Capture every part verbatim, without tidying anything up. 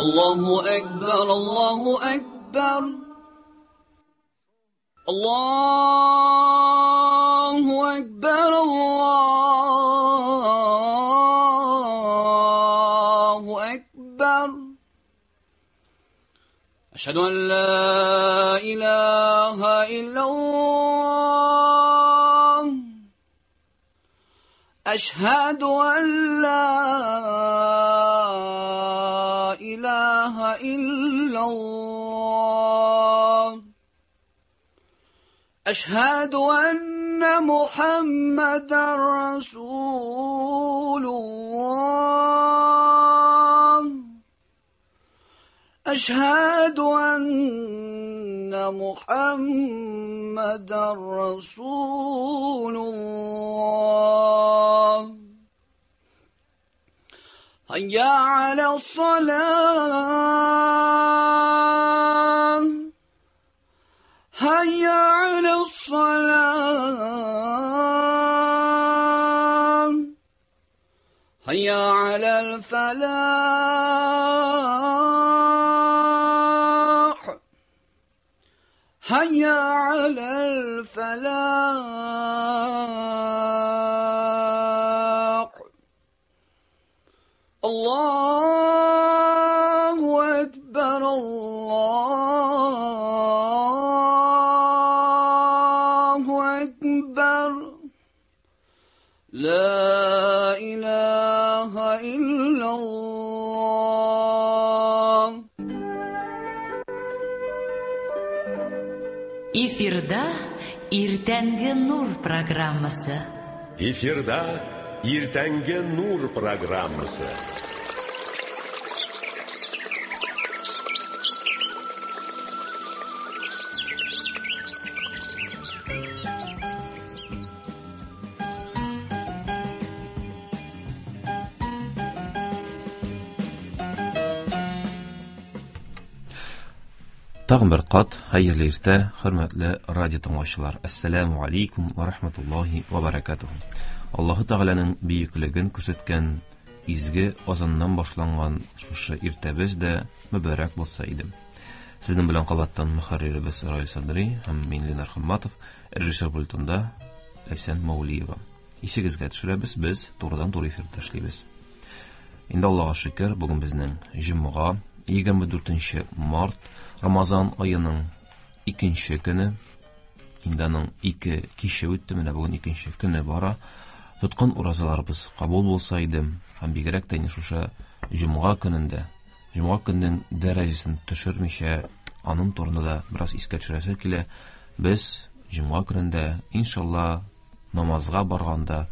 الله أكبر الله أكبر الله أكبر الله أكبر أشهد أن لا إله إلا الله أشهد أن لا إله إلا الله أشهد أن محمدا رسول الله أشهد أن محمدا رسول الله هيا على الصلاة هيا على الصلاة هيا على الفلاح هيا على الفلاح الله أكبر الله أكبر لا إله إلا الله. Эфирда Иртәнге Нур программасы. Эфирда Иртәнге Нур программасы. Тагын бер кат хәерле иртә, хөрмәтле радио тыңлаучылар. Ассаламу алейкум ва рахматуллахи ва баракатуху. Аллаһы Тәгаләнең бөеклеген күрсәткән изге азаннан башланган шушы иртәбез дә мөбарәк булса иде. Сезнең белән кабаттан мөхәрриребез Раил Садри һәм мин Ленар Хамматов, режиссер пультында Ләйсән Маулиева. Исегезгә төшерәбез, без турыдан-туры эфирдә эшлибез. Инде Аллаһка шөкер, бүген безнең җомга, егерме дүртенче март, Рамазан аеның икенче көне. Инде аның ике киче үтте, менә бүген икенче көне бара. Тоткан уразаларыбыз кабул булса иде, һәм бигрәк тә инде шушы җомга көнендә, җомга көненең дәрәҗәсен төшермичә, аның турында да бераз искә төшерәсе килә. Без җомга көнендә, иншалла, намазга барганда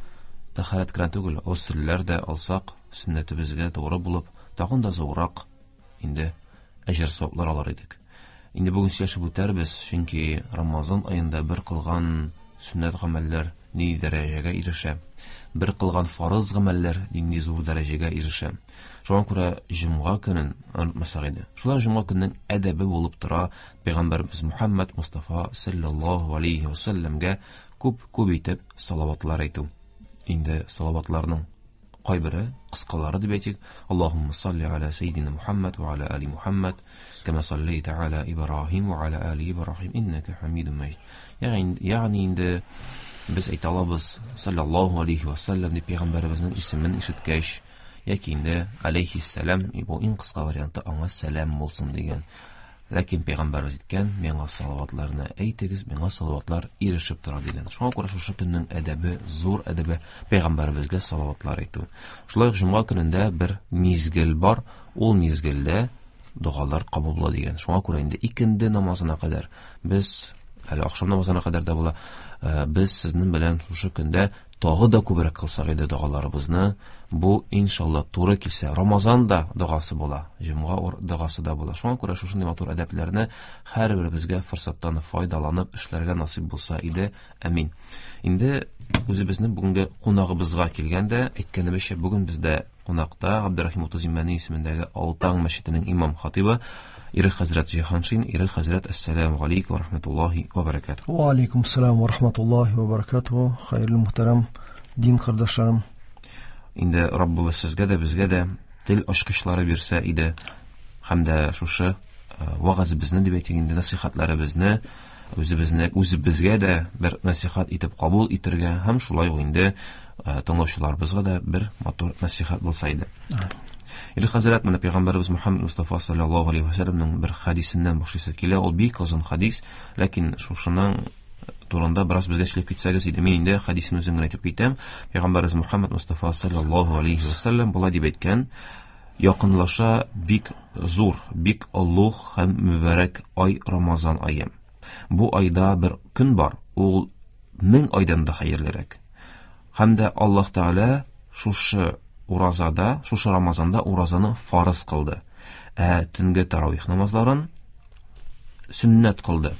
тәһарәт кенә түгел, госелләр дә алсак, сөннәтебезгә тугры булып, тагын да зуррак инде әҗер саваплар алар идек. Инде бүген сөйләшеп үтәрбез, чөнки Рамазан аенда бер кылган сөннәт гамәлләр нинди дәрәҗәгә ирешә, бер кылган фарыз гамәлләр нинди зур дәрәҗәгә ирешә. Шуңа күрә җомга көнен онытмасак иде. Шулай җомга көненең әдәбе булып тора Пәйгамбәребез Мухаммад Мустафа саллаллаһу алейхи ва саллямга күп-күп итеп салаватлар әйтү. Инде салаватларның кайбере кыскалары дип әйтик. Аллаһумма салли аля саййидина Мухаммад ва аля али Мухаммад кама саллайта аля Ибраһим ва аля али Ибраһим иннака Хамидум Маҗид. Ягъни, ягъни инде без әйтә алабыз саллаллаһу алейхи ва саллям дип пәйгамбәребезнең исемен ишеткәч, яки инде алейхиссалам, бу иң кыска варианты аңа сәлам булсын дигән. Ләкин пәйгамбәребез әйткән, миңа салаватларны әйтегез, миңа салаватлар ирешеп тора дигән. Шуңа күрә шушы көннең әдәбе, зур әдәбе пәйгамбәребезгә салаватлар әйтү. Шулай ук җомга көнендә бер мизгел бар, ул мизгелдә догалар кабул була дигән. Шуңа күрә инде икенде намазына кадәр без, әле ахшам намазына кадәр дә була, без сезнең белән шушы көндә тагы да күбрәк кылсак иде догаларыбызны. Бу иншалла туры килсә, Рамазан да догасы була, җомга догасы да була. Шуңа күрә шушындый матур әдәпләрне һәрберебезгә форсаттан файдаланып эшләргә насыйп булса иде. Амин. Инде үзебезнең бүгенге кунагыбызга килгәндә, әйткәнебезчә, бүген бездә кунакта Габдерахим Утыз Имәни исемендәге Алтаң мәчетенең имам хатибы Ирек хәзрәт Җиһаншин. Ирек хәзрәт, ассаламу алейкум ва рахматуллахи ва баракатуһу. Ва алейкум ассалам ва рахматуллахи ва баракатуһу. Хәерле мөхтәрәм дин кардәшләрем. Инде Раббыбыз сезгә дә, безгә дә тел ачкычлары бирсә иде. Һәм дә шушы вәгазебезне дип әйтик инде, насихатларыбызны үзебезне үзебезгә дә бер насихат итеп кабул итәргә һәм шулай ук инде тыңлаучыларыбызга да бер матур насихат булса иде. Иле хәзрәт, менә пәйгамбәребез Мухаммад Мустафа саллаллаһу алейһи ва сәлләмнең бер хадисеннән башлыйсы килә. Ул бик озын хадис, ләкин шушының турында бераз безгә сөйләп китсәгез иде. Мин инде хадисен үзем генә әйтеп китәм. Пәйгамбәребез Мухаммад Мустафа саллаллаһу алейһи ва сәлләм болай дип әйткән: якынлаша бик зур, бик олуг һәм мөбарәк ай Рамазан ае. Бу айда бер көн бар, ул мең айдан да хәерлерәк. Һәм дә Аллаһ Тәгалә шушы уразада, шушы Рамазанда уразаны фарыз кылды. Ә төнге таравих намазларын сөннәт кылды.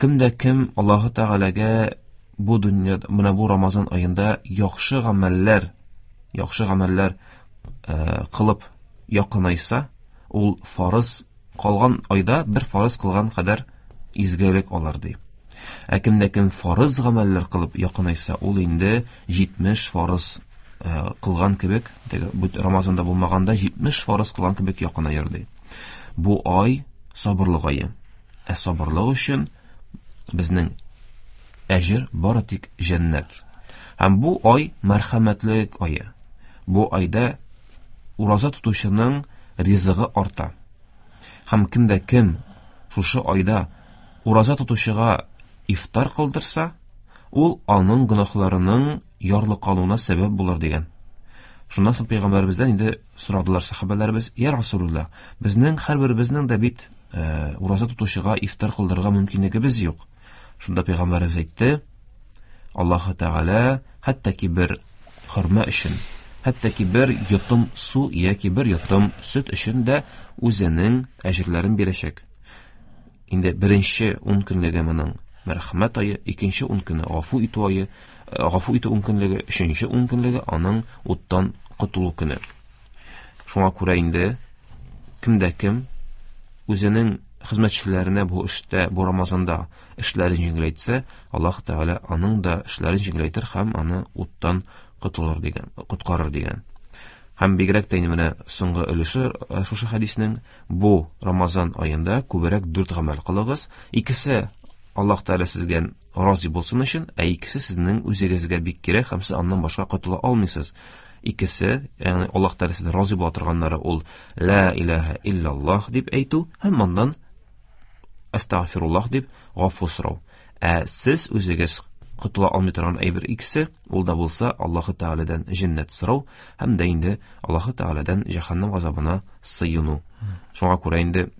Кем дә кем Аллаһ Тәгаләгә бу дөньяда, менә бу Рамазан аенда яхшы гамәлләр, яхшы гамәлләр кылып якынайса, ул фарыз калган айда бер фарыз кылган кадәр изгелек алыр ди. Ә кем дә кем фарыз гамәлләр кылып якынайса, ул инде җитмеш фарыз кылган кебек, теге Рамазанда булмаганда җитмеш фарыз кылган кебек якынаер ди. Бу ай сабырлык ае. Ә сабырлык өчен безнең әҗер бары тик җәннәт. Һәм бу ай мәрхәмәтлек ае. Бу айда ураза тотучының ризыгы арта. Һәм кем дә кем шушы айда ураза тотучыга ифтар кылдырса, ул аның гөнаһларының ярлыкалуына сәбәп булыр дигән. Шуннан соң пәйгамбәребездән инде сорадылар сахабәләребез: "Я Расулуллаһ, безнең һәрберебезнең дә бит э, ураза тотучыга ифтар кылдырырга мөмкинлегебез юк." Шунда пәйгамбәребез әйтте: "Аллаһ Тәгалә хәтта ки бер хөрмә өчен, хәтта ки бер йотым су яки бер йотым сөт өчен дә үзенең әҗерләрен бирәчәк." Инде беренче ун көнлеге моның мәрхәмәт ае, икенче ун көне гафу итү ае, гафу итү ун көнлеге, өченче ун көнлеге аның уттан котылу көне. Шуңа күрә инде кем дә кем үзенең хезмәтчеләренә бу эштә, бу Рамазанда эшләрен җиңеләйтсә, Аллаһ Тәгалә аның да эшләрен җиңеләйтер һәм аны уттан котылыр дигән, коткарыр дигән. Һәм бигрәк тә инде менә соңгы өлеше шушы хәдиснең: бу Рамазан аенда күбрәк дүрт гамәл кылыгыз. Икесе Аллаһ Тәгалә сезгә разый булсын өчен, ә икесе сезнең үзегезгә бик кирәк һәм сез аннан башка котыла алмыйсыз. Икесе, ягъни Аллаһ Тәгалә сездән разый була торганнары, ул ла илаһа иллаллаһ дип әйтү һәм аннан әстәгъфируллаһ дип гафу сорау. Ә сез үзегез котыла алмый торган әйбер икесе, ул да булса Аллаһ Тәгаләдән җәннәт сорау һәм дә инде Аллаһ Тәгаләдән җәһәннәм газабына сыену. Шуңа күрә инде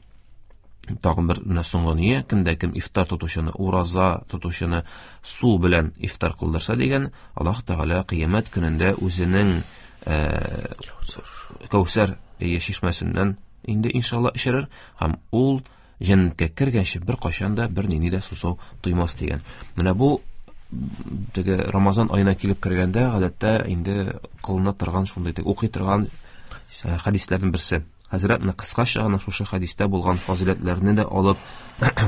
тагын бер менә соңгы ния, кем дә кем ифтар тотучыны, ураза тотучыны су белән ифтар кылдырса дигән, Аллаһ Тәгалә кыямәт көнендә үзенең Кәүсәр чишмәсеннән инде иншалла эчерер һәм ул җәннәткә кергәнче бер кайчан да бер нинди дә сусау тоймас дигән. Менә бу теге Рамазан аена килеп кергәндә гадәттә инде кылына торган шундый теге укый торган хәдисләрнең берсе. Хәзрәт менә кыскача гына шушы хәдистә булган фазыйләтләрне дә алып,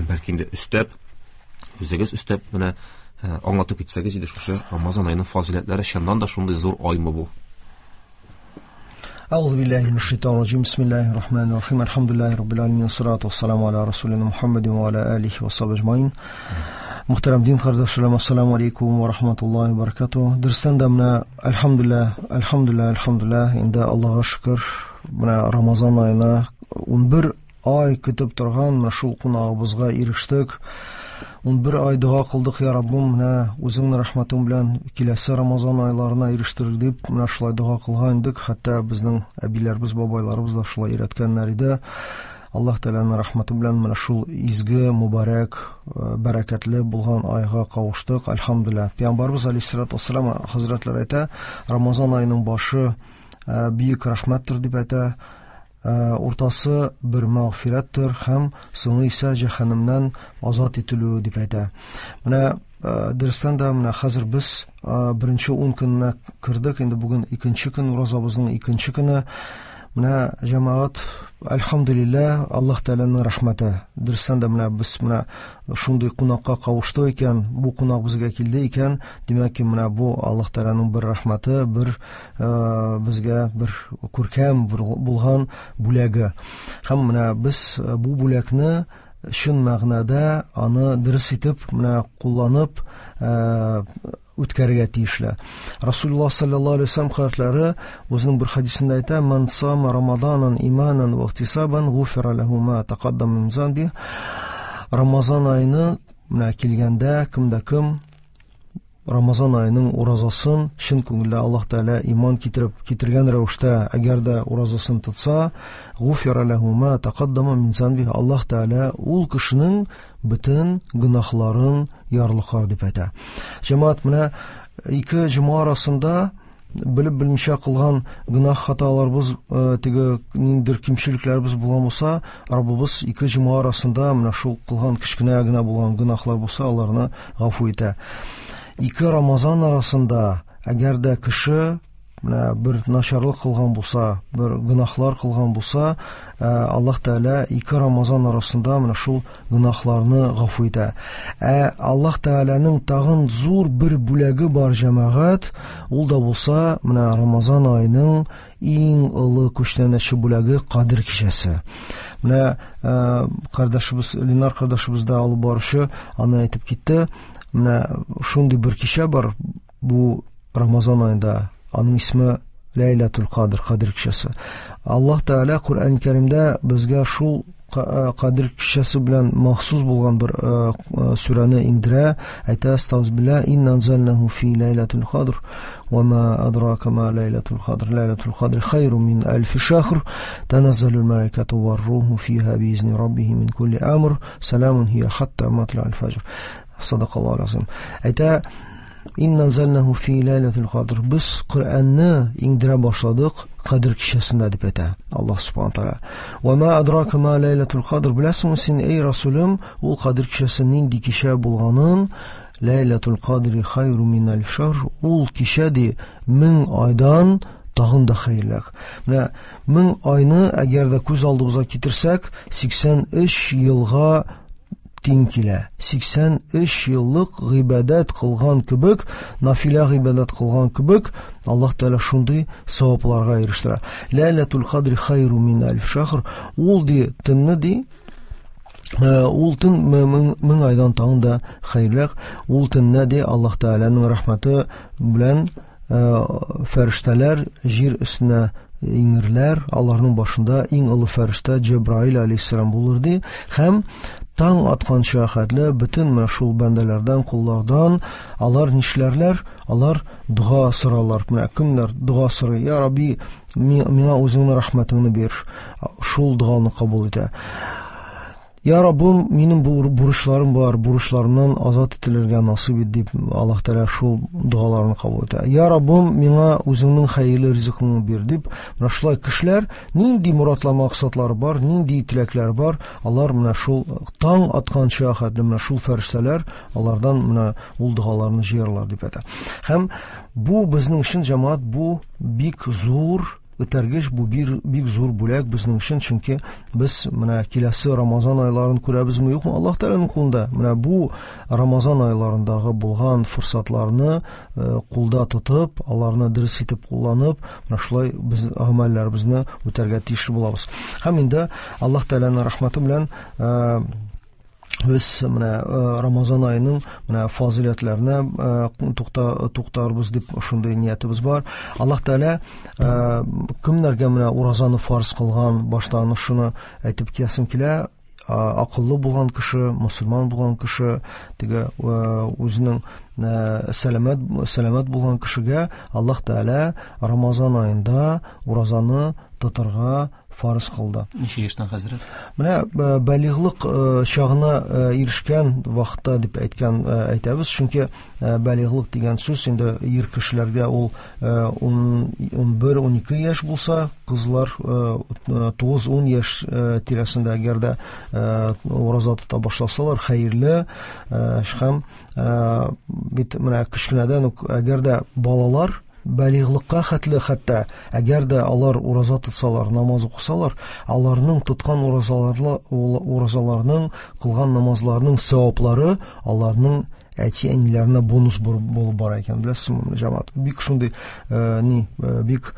бәлки инде өстәп, үзегез өстәп менә аңлатып китсәгез иде, шушы Рамазан аеның фазыйләтләре чыннан да шундый зур аймы бу? أعوذ بالله من الشيطان الرجيم. بسم الله الرحمن الرحيم. الحمد لله رب العالمين والصلاة والسلام على رسولنا محمد وعلى آله وصحبه أجمعين. Мөхтәрәм дин кардәшләрем, ассаламу алейкум ва рахматуллаһи ва баракатуһ. Дөрестән дә менә әлхәмдүлилләһ, әлхәмдүлилләһ, әлхәмдүлилләһ, инде Аллаһка шөкер, менә Рамазан аена унбер ай көтеп торган менә шул кунагыбызга ирештек. Унбер ай дога кылдык, я Раббым, менә үзеңнең рәхмәтең белән киләсе Рамазан айларына ирештер дип, менә шулай дога кылган идек. Хәтта безнең әбиләребез, бабайларыбыз да шулай өйрәткәннәр иде. Аллаһ Тәгаләнең рәхмәте белән менә шул изге, мөбарәк, бәрәкәтле булган айга кавыштык. Әлхәмдүлилләһ. Пәйгамбәрбез алейһиссалату вассалам хәзрәтләре әйтә, Рамазан аеның башы бөек рәхмәттер дип әйтә, уртасы бер мәгъфирәттер һәм соңы исә җәһәннәмнән азат ителү дип әйтә. Менә дөрестән дә менә хәзер без беренче ун көненә кердек, инде бүген икенче көн, уразабызның икенче көне. Менә җәмәгать, әлхәмдүлилләһ, Аллаһ Тәгаләнең рәхмәте. Дөрестән дә менә без менә шундый кунакка кавыштык икән, бу кунак безгә килде икән, димәк ки, менә бу Аллаһ Тәгаләнең бер рәхмәте, бер безгә бер күркәм булган бүләге. Һәм менә без бу бүләкне чын мәгънәдә аны дөрес итеп менә кулланып үткәрергә тиешле. Расулуллаһ саллаллаһу алейһи ва саллям хәзрәтләре үзенең бер хәдисендә әйтә: "Ман сама Рамазанан иманан ва ихтисабан гуфира лаху ма тақаддама мин замби". Рамазан аена менә килгәндә кем дә кем Рамазан аеның уразасын чын күңелдә Аллаһ Тәгалә иман китереп китергән рәвештә әгәр дә уразасын тотса, гуфира лаху ма тақаддама мин замби, Аллаһ Тәгалә ул кешенең бөтен гөнаһларын ярлыкар дип әйтә. Җәмәгать, менә ике җомга арасында белеп белмичә кылган гөнаһ хаталарыбыз, теге ниндидер кимчелекләребез булган булса, Раббыбыз ике җомга арасында менә шул кылган кечкенә генә булган гөнаһлар булса, аларны гафу итә. Ике Рамазан арасында әгәр дә кеше менә бер начарлык кылган булса, бер гөнаһлар кылган булса, Аллаһ Тәгалә ике Рамазан арасында менә шул гөнаһларны гафу итә. Ә Аллаһ Тәгаләнең тагын зур бер бүләге бар, җәмәгать, ул да булса менә Рамазан аеның иң олы күчтәнәче бүләге Кадер кичәсе. Менә кардәшебез Ленар кардәшебез дә алып баручы аны әйтеп китте. Менә шундый бер кичә бар бу Рамазан аенда. Аның исеме Ләйләтул Кадр, Кадер кичәсе. Аллаһ Тәгалә Коръән Кәримдә безгә шул Кадер кичәсе белән махсус булган бер сүрәне иңдерә. Әйтә: "Астагфирулла, инна анзалнаху фи ләйләтул кадр, ва ма адрака ма ләйләтул кадр, ләйләтул кадр хайрун мин алфи шахр, таназзалул малаикату вар-руху фиха биизни раббихим мин кулли амр, саламун хия хатта матла'ил фаҗр". Садакаллаху азим. Әйтә: "Инна анзалнаху фи ләйләтул кадр". Без Коръәнне иңдерә башладык Кадер кичәсендә дип әйтә Аллаһ субхана тааля. Ва ма адрака ма ләйләтул кадр. Беләсеңме син, эй Расулым, ул Кадер кичәсе нинди кичә булганын? Ләйләтул кадри хайру мин алф шахр. Ул кичә ди мең айдан тагын да хәерлерәк. Менә мең айны әгәр дә күз алдыбызга китерсәк, сиксән өч елга тиң килә. Сиксән өч еллык гыйбадәт кылган кебек, нафилә гыйбадәт кылган кебек, Аллаһ Тәгалә шундый савапларга ирештерә. Ләйләтул кадри хайру мин алф шахр. Ул ди төнне ди, ул төн мең айдан тагын да хәерлерәк. Ул төнне ди Аллаһ Тәгаләнең рәхмәте белән фәрештәләр җир өстенә иңерләр, аларның башында иң олы фәрештә Җәбраил алейһиссалам булыр ди. Һәм таң атканча хәтле бөтен менә шул бәндәләрдән, куллардан алар нишләрләр? Алар дога соралар. Менә кемнәр дога сорый? Я Рабби, миңа үзеңнең рәхмәтеңне бир. Шул доганы кабул итә. Я Раббым, минем бурычларым бар, бурычларымнан азат ителергә насыйп ит дип Аллаһ Тәгалә шул догаларны кабул итә. Я Раббым, миңа үзеңнең хәерле ризыгыңны бир дип, менә шулай кешеләр нинди моратлар, максатлары бар, нинди теләкләр бар, алар менә шул таң атканча хәтле менә шул фәрештәләр алардан менә ул догаларны җыярлар дип әйтә. Һәм бу безнең өчен, җәмәгать, бу бик зур үтәргеч, бу бир, бик зур бүләк безнең өчен, чөнки без менә киләсе Рамазан айларын күрәбезме, юкмы, Аллаһ Тәгаләнең кулында. Менә бу Рамазан айларындагы булган форсатларны кулда тотып, аларны дөрес итеп кулланып, менә шулай без гамәлләребезне үтәргә тиеш булабыз. Һәм инде Аллаһ Тәгаләнең рәхмәте белән без менә Рамазан аеның менә фазыйләтләренә тукта туктарбыз дип шундый ниятебез бар. Аллаһ Тәгалә кемнәргә менә уразаны фарз кылган, башта аны шуны әйтеп китәсем килә. Акыллы булган кеше, мусульман булган кеше, теге үзенең сәламәт, сәламәт булган кешегә Аллаһ Тәгалә Рамазан аенда уразаны тотарга фарыз кылды. Ничә яшьтән, хәзрәт? Менә балигълык чагына ирешкән вакытта дип әйткән әйтәбез, чөнки балигълык дигән сүз инде ир кешеләргә ул ун бер, ун ике яшь булса, кызлар тугыз, ун яшь тирәсендә әгәр дә ураза тота башласалар, хәерле. Һәм бит менә кечкенәдән үк әгәр дә балалар Балигълыкка хәтле хәтта әгәр дә алар ураза тотсалар, намаз укысалар, аларның тоткан уразалары, уразаларының, кылган намазларының саваплары аларның әти-әниләренә бонус булып бара икән, беләсезме, җәмәгать? Бик шундый ни, бик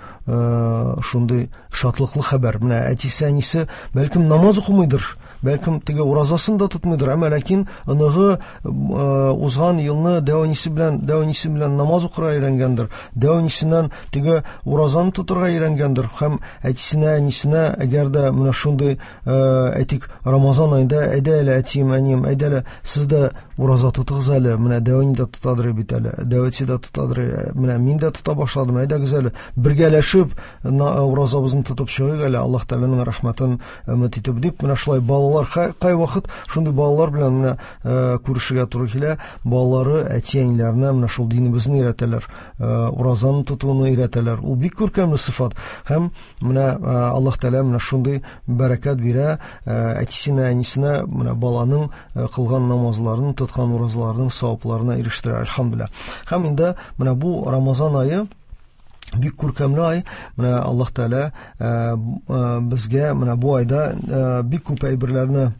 шундый шатлыклы хәбәр. Менә әтисе, әнисе бәлкем намаз укымыйдыр, бәлкем теге уразасын да тотмыйдыр, әмма ләкин оныгы узган елны дәү әнисе белән, дәү әнисе белән намаз укырга өйрәнгәндер, дәү әнисеннән теге уразаны тотырга өйрәнгәндер һәм әтисенә, әнисенә әгәр дә менә шундый, әйтик, Рамазан аенда әйдә әле әтием, әнием, әйдә әле сез дә ураза тотыгыз әле, менә дәү әни дә тотадыр бит әле, дәү әти дә тотадыр, менә мин дә тота башладым, әйдәгез әле бергәләшеп уразабызны тотып чыгыйк әле, Аллаһ Тәгаләнең рәхмәтен өмет итеп дип, менә шулай балалар кайвакыт шундый балалар белән менә күрешергә туры килә. Балалары әти-әниләренә менә шул динебезне өйрәтәләр, уразаны тотуны өйрәтәләр. Ул бик күркәмле сыйфат. Һәм менә Аллаһ Тәгалә менә шундый бәрәкәт бирә әтисенә, әнисенә, менә баланың кылган намазларын, тоткан уразаларының савапларына ирештерә, әлхәмдүлилләһ. Һәм инде менә бу Рамазан ае бик күркәмле ай. Менә Аллаһ Тәгалә безгә менә бу айда бик күп әйберләрне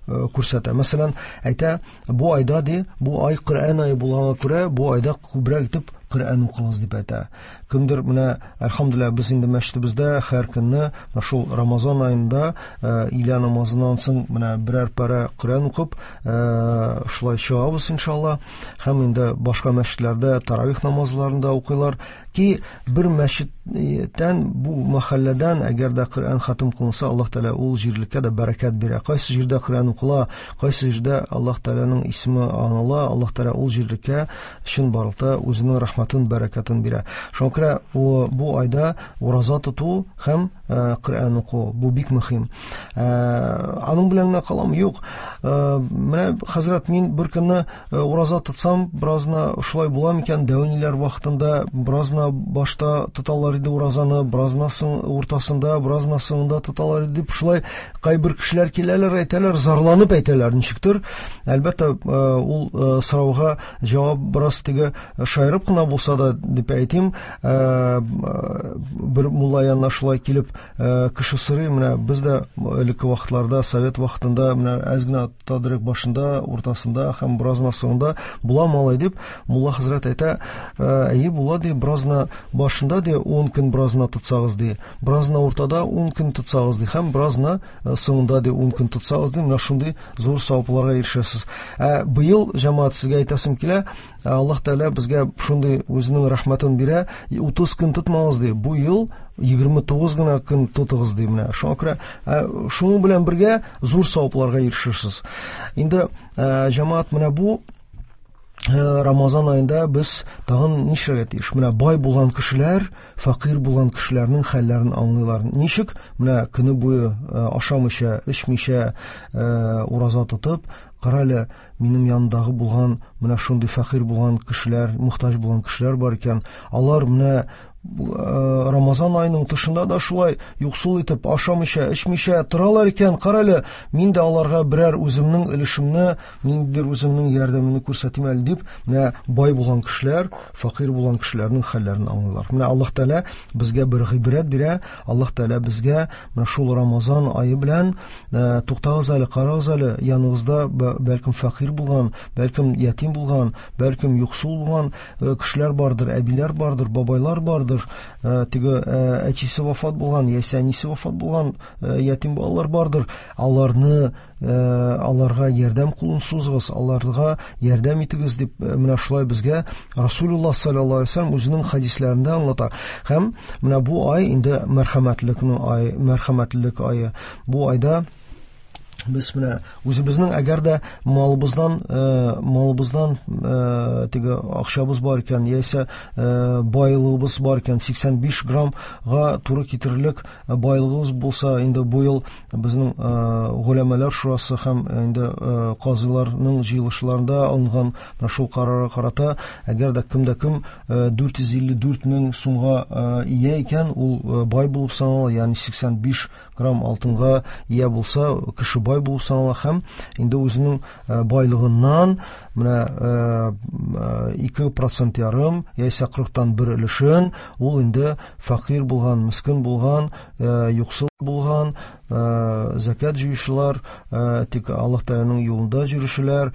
күрсәтә. Мәсәлән, әйтә, бу айда ди, бу ай Коръән ае булганга күрә, бу айда күбрәк итеп Коръән укыгыз дип әйтә. Кемдер менә, әлхәмдүлилләһ, без инде мәчетебездә һәр көнне менә шул Рамазан аенда өйлә намазыннан соң менә берәр парә Коръән укып, шулай чыгабыз иншалла. Һәм инде башка мәчетләрдә таравих намазларында укыйлар. Ки бер мәчеттән, бу мәхәлләдән әгәр дә Коръән хатым кылынса, Аллаһ Тәгалә ул җирлеккә дә бәрәкәт бирә. Кайсы җирдә Коръән укыла, кайсы җирдә Аллаһ Тәгаләнең исеме аныла, Аллаһ Тәгалә ул җирлеккә чынбарлыкта үзенең рәхмәтен, бәрәкәтен бирә. Шуңа күрә бу айда ураза тоту һәм Коръән уку бу бик мөһим. Аның белән генә калам, юк. Менә хәзрәт, мин бер көнне ураза тотсам, беразна шулай була микән? Дәү әниләр вакытында беразна башта тоталар иде уразаны, беразна соң уртасында, беразна соңында тоталар иде дип шулай кайбер кешеләр киләләр, әйтәләр, зарланып әйтәләр ничектер. Әлбәттә, ул сорауга җавап бераз теге шаярып кына булса да дип әйтим, бер мулла янына шулай килеп кеше сорый, менә без дә элекке вакытларда, совет вакытында менә әз генә тотадырык башында, уртасында һәм беразна соңында була малай дип, мулла хәзрәт әйтә, әйе була ди, беразна башында ди ун көн беразна тотсагыз ди, беразна уртада ун көн тотсагыз ди һәм беразна соңында ди ун көн тотсагыз ди, менә шундый зур савапларга ирешәсез. Ә быел, җәмәгать, сезгә әйтәсем килә, Аллаһ Тәгалә безгә шундый үзенең рәхмәтен бирә, утыз көн тотмагыз ди, бу ел егерме тугыз гына көн тотыгыз ди. Менә шуңа күрә шуның белән бергә зур савапларга ирешерсез. Инде җәмәгать, менә бу Рамазан аенда без тагын нишләргә тиеш? Менә бай булган кешеләр, фәкыйрь булган кешеләрнең хәлләрен аңлыйлар. Ничек? Менә көне буе ашамыйча, эчмичә ураза тотып, кара әле, минем янымдагы булган менә шундый фәкыйрь булган кешеләр, мохтаҗ булган кешеләр бар икән. Алар менә Рамазан аеның тышында да шулай юксул итеп ашамыйча, эчмичә торалар икән. Кара әле, мин дә аларга берәр үземнең өлешемне, ниндидер үземнең ярдәмемне күрсәтим әле дип, менә бай булган кешеләр, фәкыйрь булган кешеләрнең хәлләрен аңлыйлар. Менә Аллаһ Тәгалә безгә бер гыйбрәт бирә. Аллаһ Тәгалә безгә менә шул Рамазан ае белән, туктагыз әле, карагыз әле, яныгызда бәлкем фәкыйрь булган, бәлкем ятим булган, бәлкем юксул булган кешеләр бардыр, әбиләр бардыр, бабайлар бардыр, теге әтисе вафат булган, яисә әнисе вафат булган ятим балалар бардыр. Аларны, аларга ярдәм кулын сузыгыз, аларга ярдәм итегез дип менә шулай безгә Расулуллаһ саллаллаһу алейһи ва сәлләм үзенең хәдисләрендә аңлата. Һәм менә бу ай инде мәрхәмәтлекнең ае, мәрхәмәтлелек ае. Бу айда без менә үзебезнең әгәр дә малыбыздан, малыбыздан теге акчабыз бар икән, яисә байлыгыбыз бар икән, сиксән биш граммга туры китерерлек байлыгыбыз булса, инде бу ел безнең голәмәләр шурасы һәм инде казыйларның җыелышларында алынган менә шул карарга карата, әгәр дә кем дә кем дүрт йөз илле дүрт мең сумга ия икән, ул бай булып санала, ягъни сиксән биш грамм алтынга ия булса, кеше бай булып санала һәм инде үзенең байлыгыннан менә ике процент ярым яисә кырыктан бер өлешен ул инде фәкыйрь булган, мискин булган, юксыл булган, зәкят җыючылар, тик Аллаһ Тәгаләнең юлында йөрүчеләр,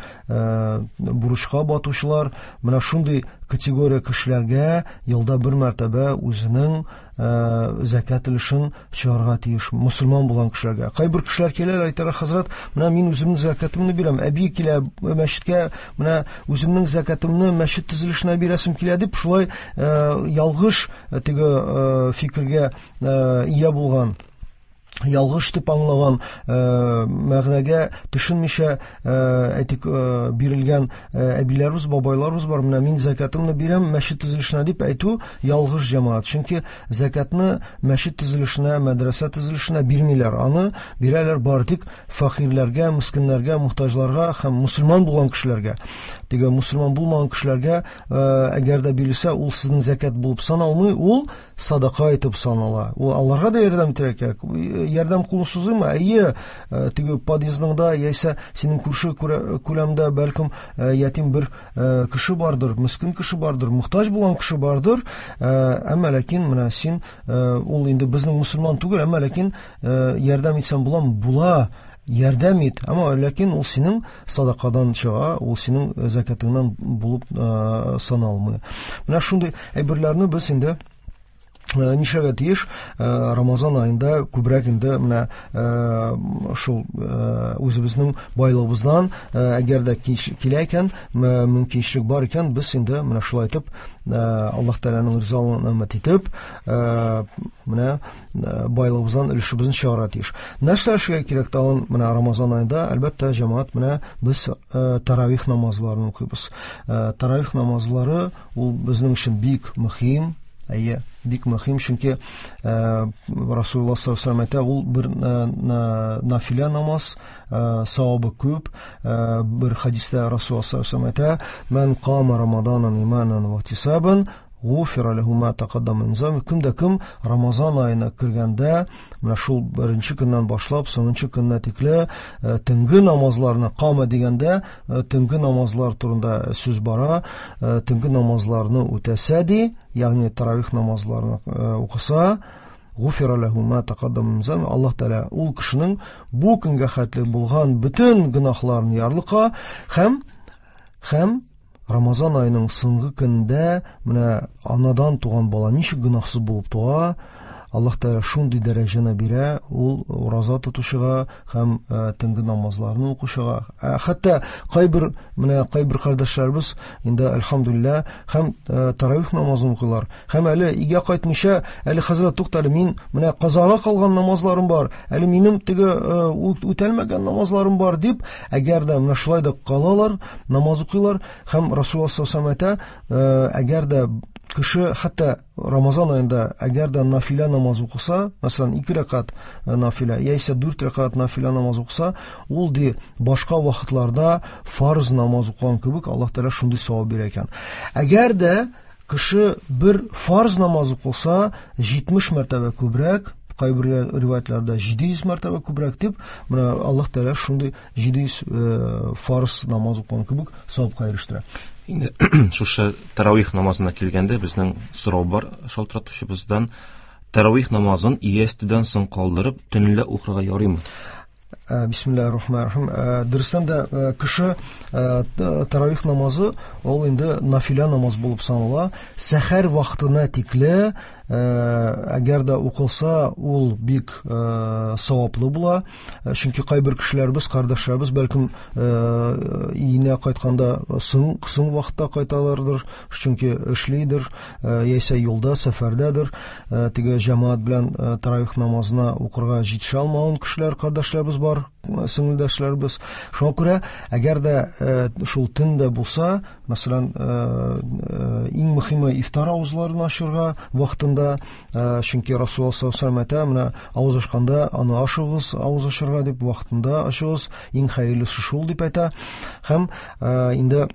бурычка батучылар, менә шундый категория кешеләргә елда бер мәртәбә үзенең зәкят өлешен чыгарга тиеш мусульман булган кешеләргә. Кайбер кешеләр киләләр, әйтәләр, хәзрәт, менә мин үземнең зәкятымны бирәм, әби килә мәчеткә, менә үземнең зәкятымны мәчет төзелешенә бирәсем килә дип, шулай ялгыш теге фикергә ия булган, ялгыш дип аңлаган, мәгънәгә төшенмичә әйтик бирелгән әбиләребез, бабайларыбыз бар. Менә мин зәкятымны бирәм мәчет төзелешенә дип әйтү ялгыш, җәмәгать. Чөнки зәкятны мәчет төзелешенә, мәдрәсә төзелешенә бирмиләр. Аны бирәләр бары тик фәкыйрьләргә, мискиннәргә, мохтаҗларга һәм мусульман булган кешеләргә. Теге мусульман булмаган кешеләргә әгәр дә бирелсә, ул сезнең зәкят булып саналмый, ул садака итеп санала. Ул аларга да ярдәм итәргә кирәк. Ярдәм кулын сузыймы? Әйе, теге подъездыңда яисә синең күрше күләмдә бәлкем ятим бер кеше бардыр, мискин кеше бардыр, мохтаҗ булган кеше бардыр. Әмма ләкин менә син ул инде безнең мусульман түгел, әмма ләкин ярдәм итсәң буламы? Була. Ярдәм ит, әмма ләкин ул синең садакадан чыга, ул синең зәкятыңнан булып саналмый. Менә шундый әйберләрне без инде нишләргә тиеш? Рамазан аенда күбрәк инде менә шул үзебезнең байлыгыбыздан, әгәр дә килә икән, мөмкинчелек бар икән, без инде менә шулай итеп Аллаһ Тәгаләнең ризалыгын өмет итеп, менә байлыгыбыздан өлешебезне чыгарырга тиеш. Нәрсә эшләргә кирәк тагын менә Рамазан аенда? Әлбәттә, җәмәгать, менә без таравих намазларын укыйбыз. Таравих намазлары ул безнең өчен бик мөһим. Әйе, бик мөһим, чөнки Расулуллаһ саллаллаһу алейһи ва сәлләм әйтә, ул бер нафилә намаз, савабы күп. Бер хадистә Расулуллаһ саллаллаһу алейһи ва сәлләм әйтә: "Ман кама Рамаданан иманан ва ихтисабан, гуфира лаху ма тақаддама мин замби". Кем дә кем Рамазан аена кергәндә, менә шул беренче көннән башлап соңынчы көннә тикле төнге намазларны, кама дигәндә төнге намазлар турында сүз бара, төнге намазларны үтәсә ди, ягъни таравих намазларны укыса, гуфира лаху ма тақаддама мин замби, Аллаһ Тәгалә ул кешенең бу көнгә хәтле булган бөтен гөнаһларын ярлыка һәм һәм Рамазан аеның соңгы көндә менә анадан туган бала ничек гөнаһсыз булып туа, Аллаһ Тәгалә шундый дәрәҗәне бирә ул ураза тотучыга һәм төнге намазларны укучыга. Хәтта кайбер менә кайбер кардәшләребез инде әлхәмдүлилләһ һәм таравих намазын укыйлар. Һәм әле өйгә кайтмыйча, әле хәзрәт, туктале, мин менә казага калган намазларым бар, әле минем теге үтәлмәгән намазларым бар дип, әгәр дә менә шулай да калалар, намаз укыйлар. Һәм Расулуллаһ саллаллаһу алейһи ва сәлләм әйтә, әгәр дә кеше хәтта Рамазан аенда әгәр дә нафилә намаз укыса, мәсәлән, ике рәкать нафилә яисә дүрт рәкать нафилә намаз укыса, ул ди башка вакытларда фарз намаз укыган кебек Аллаһ Тәгалә шундый савап бирә икән. Әгәр дә кеше бер фарз намаз укыса, җитмеш мәртәбә күбрәк, кайбер риваятларда җиде йөз мәртәбә күбрәк дип, менә Аллаһ Тәгалә шундый җиде йөз фарз намаз укыган кебек савапка ирештерә. Инде шушы таравих намазына килгәндә безнең сорау бар шалтыратучыбыздан. Таравих намазын ястүдән соң калдырып төнлә укырга ярыймы? Бисмиллаһир рахманир рахим. Дөрестән дә кеше таравих намазы ул инде нафилә намаз булып санала. Сәхәр вакытына тикле әгәр дә укылса, ул бик саваплы була. Чөнки кайбер кешеләребез, кардәшләребез бәлкем өенә кайтканда соң, соң вакытта кайталардыр, чөнки эшлидер, яисә юлда, сәфәрдәдер. Теге җәмәгать белән таравих намазына укырга җитешә алмаган кешеләр, кардәшләребез бар, сеңелдәшләребез. Шуңа күрә, әгәр дә шул төндә булса, мәсәлән, иң мөһиме ифтар авызларын ачырга вакытында, чөнки Расулуллаһ саллаллаһу алейһи ва сәлләм әйтә, менә авыз ачканда аны ашыгыз, авыз ачырга дип вакытында ачыгыз, иң хәерлесе шул дип әйтә. Һәм инде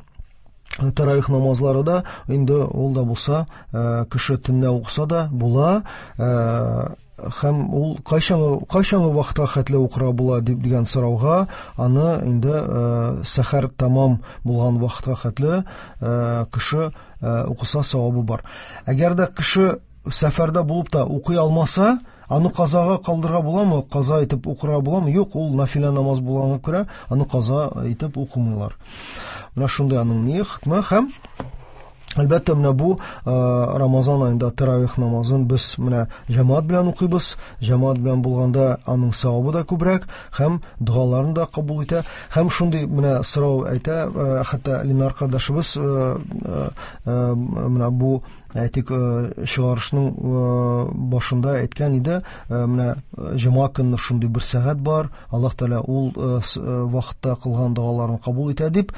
таравих намазлары да инде ул да булса, кеше төнлә укыса да була. Һәм ул кайчан кайчан вакытка хәтле укырга була дип дигән сорауга аны инде сәхәр тамам булган вакытка хәтле кеше укыса савабы бар. Әгәр дә кеше сәфәрдә булып та укый алмаса, аны казага калдырырга буламы? Каза итеп укырга буламы? Юк, ул нафилә намаз булганга күрә аны каза итеп укымыйлар. Менә шундый аның ни хөкме. Һәм әлбәттә, менә бу Рамазан аенда таравих намазын без менә җәмәгать белән укыйбыз. Җәмәгать белән булганда аның савабы да күбрәк һәм догаларын да кабул итә. Һәм шундый менә сорау әйтә, хәтта Ленар кардәшебез менә бу әйтик чыгарышның башында әйткән иде, менә җомга көнне шундый бер сәгать бар, Аллаһ Тәгалә ул вакытта кылган догаларын кабул итә дип.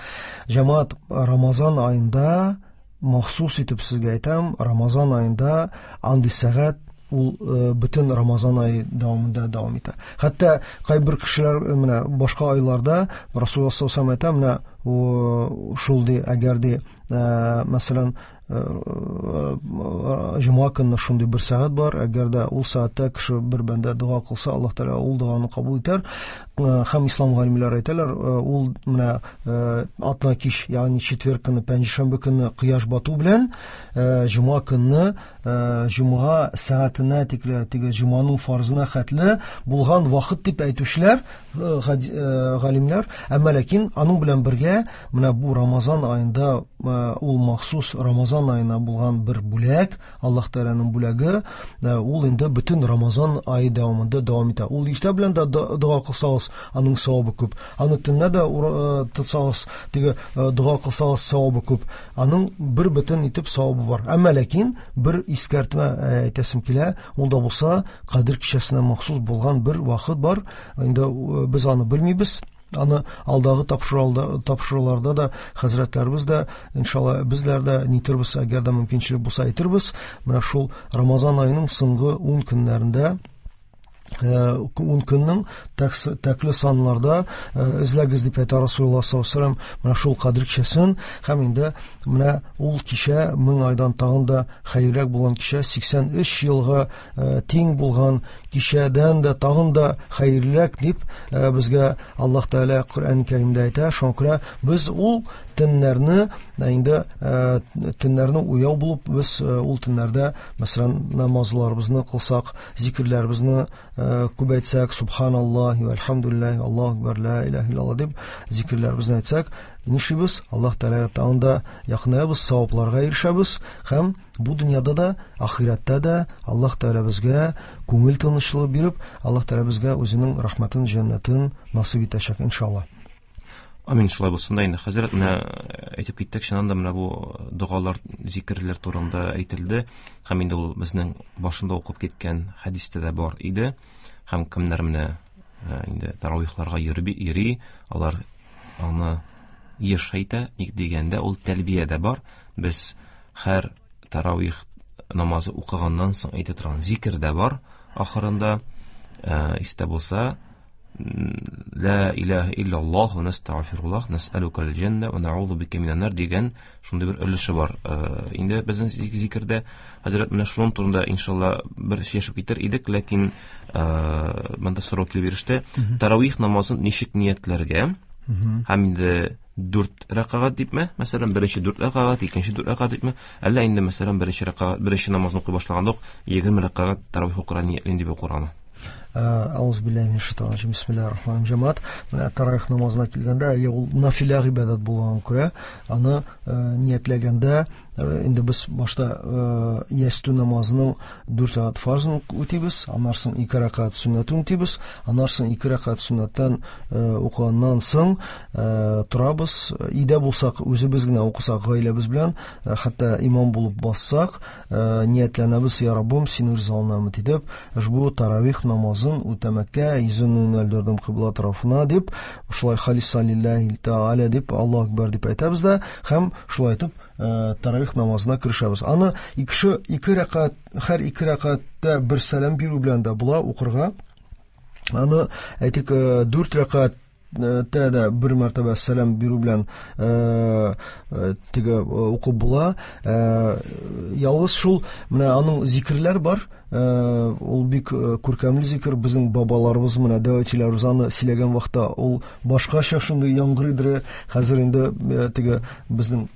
Җәмәгать, Рамазан аенда махсус итеп сезгә әйтәм, Рамазан аенда андый сәгать ул бөтен Рамазан ае дәвамында дәвам итә. Хәтта кайбер кешеләр менә башка айларда Расулуллаһ саллаллаһу алейһи ва сәлләм әйтә, менә шул ди, әгәр ди, мәсәлән, җомга көнне шундый бер сәгать бар, әгәр дә ул сәгатьтә кеше бер бәндә дога кылса, Аллаһ Тәгалә ул доганы кабул итәр. Һәм ислам галимнәре әйтәләр, ул менә атна кич, ягъни четверг көнне, пәнҗешәмбе көнне кояш бату белән җомга көнне җомга сәгатенә тикле, теге җомганың фарзына хәтле булган вакыт дип әйтүчеләр галимнәр. Әмма ләкин аның белән бергә менә бу Рамазан аенда ул махсус Рамазан аена булган бер бүләк, Аллаһ Тәгаләнең бүләге, ул инде бөтен Рамазан ае дәвамында дәвам итә. Ул иртә белән дә дога кылсагыз, аның савабы күп. Аны төнлә дә тотсагыз, теге дога кылсагыз, савабы күп. Аның бер бөтен итеп савабы бар. Әмма ләкин бер искәртмә әйтәсем килә, ул да булса Кадер кичәсенә махсус булган бер вакыт бар. Инде без аны белмибез. Аны алдагы тапшыруларда да хәзрәтләребез дә, иншалла, безләр дә нитербез, әгәр дә мөмкинчелек булса әйтербез. Менә шул Рамазан аеның соңгы ун көннәрендә, ун көннең тәкле саннарда эзләгез дип әйтә Расулуллаһ саллаллаһу алейһи ва сәлләм менә шул Кадер кичәсен. Һәм инде менә ул кичә мең айдан тагын да хәерлерәк булган кичә, сиксән өч елга тиң булган кичәдән дә тагын да хәерлерәк дип безгә Аллаһ Тәгалә Коръән Кәримдә әйтә. Шуңа күрә без ул төннәрне инде төннәрне уяу булып, без ул төннәрдә, мәсәлән, намазларыбызны кылсак, зикерләребезне күбәйтсәк, субханаллаһи вәлхамдулиллаһи, Аллаһу акбар, ла илаһа иллаллаһ дип зикерләребезне әйтсәк, нишлибез? Аллаһ Тәгаләгә тагын да якынаябыз, савапларга ирешәбез һәм бу дөньяда да, ахирәттә дә Аллаһ Тәгалә безгә күңел тынычлыгы биреп, Аллаһ Тәгалә безгә үзенең рәхмәтен, җәннәтен насыйп итәчәк, иншаллаһ. Амин, шулай булсын да инде. Хәзрәт, менә әйтеп киттек, чыннан да менә бу догалар, зикерләр турында әйтелде. Һәм инде ул безнең башында укып киткән хәдистә дә бар иде. Һәм кемнәр менә инде таравихларга йөри, йөри, алар аны еш әйтә. Ник дигәндә, ул тәлбия дә бар. Без һәр таравих намазы укыганнан соң әйтә торган зикер дә бар. Ахырында, истә булса, ла илаһа иллаллаһ ва настагфируллаһ насалука аль-җанна ва наузу бика минан нар дигән шундый бер өлеше бар. Инде безнең зикердә хәзрәт менә шуның турында иншалла бер сөйләшеп китер идек, ләкин монда сорау килеп иреште. Таравих намазын ничек ниятләргә? Һәм инде дүрт рәкәгать дипме? Мәсәлән, беренче дүрт рәкәгать, икенче дүрт рәкәгать дипме? Әллә инде мәсәлән беренче рәкәгать, беренче намазны укый башлаганда ук егерме рәкәгать таравих укырга ниятлим дип укыргамы? Ауз биллаһи минәш шайтанир раҗим. Бисмиллаһир рахманир рахим. Җәмәгать, менә таравих намазына килгәндә, әйе, ул нафилә гыйбадәт булганга күрә, аны ниятләгәндә, инде без башта ястү намазының дүрт рәкәгать фарзын үтибез, аннан соң ике рәкәгать сөннәтен үтибез, аннан соң ике рәкәгать сөннәттән укыганнан соң торабыз. Өйдә булсак, үзебез генә укысак, гаиләбез белән, хәтта имам булып бассак, ниятләнәбез: Я Раббым, синең ризалыгыңа өмет итеп, ошбу таравих намазын үтәмәккә йөземне юнәлдердем кыйбла тарафына дип, шулай халиса лиллаһи тааля дип, Аллаһу акбар дип әйтәбез дә һәм шулай итеп таравих намазына керешәбез. Аны ике ике рәкәгать, һәр ике рәкәгатьтә бер сәлам бирү белән дә була укырга. Аны әйтик, дүрт рәкәгать тә дә бер мәртәбә сәлам бирү белән теге укып була. Ялгыз шул менә аның зикерләр бар. Ул бик күркәмле зикер. Безнең бабаларыбыз менә дәү аны сөйләгән вакытта ул башкача шундый яңгырыйдыр. Хәзер инде теге безнең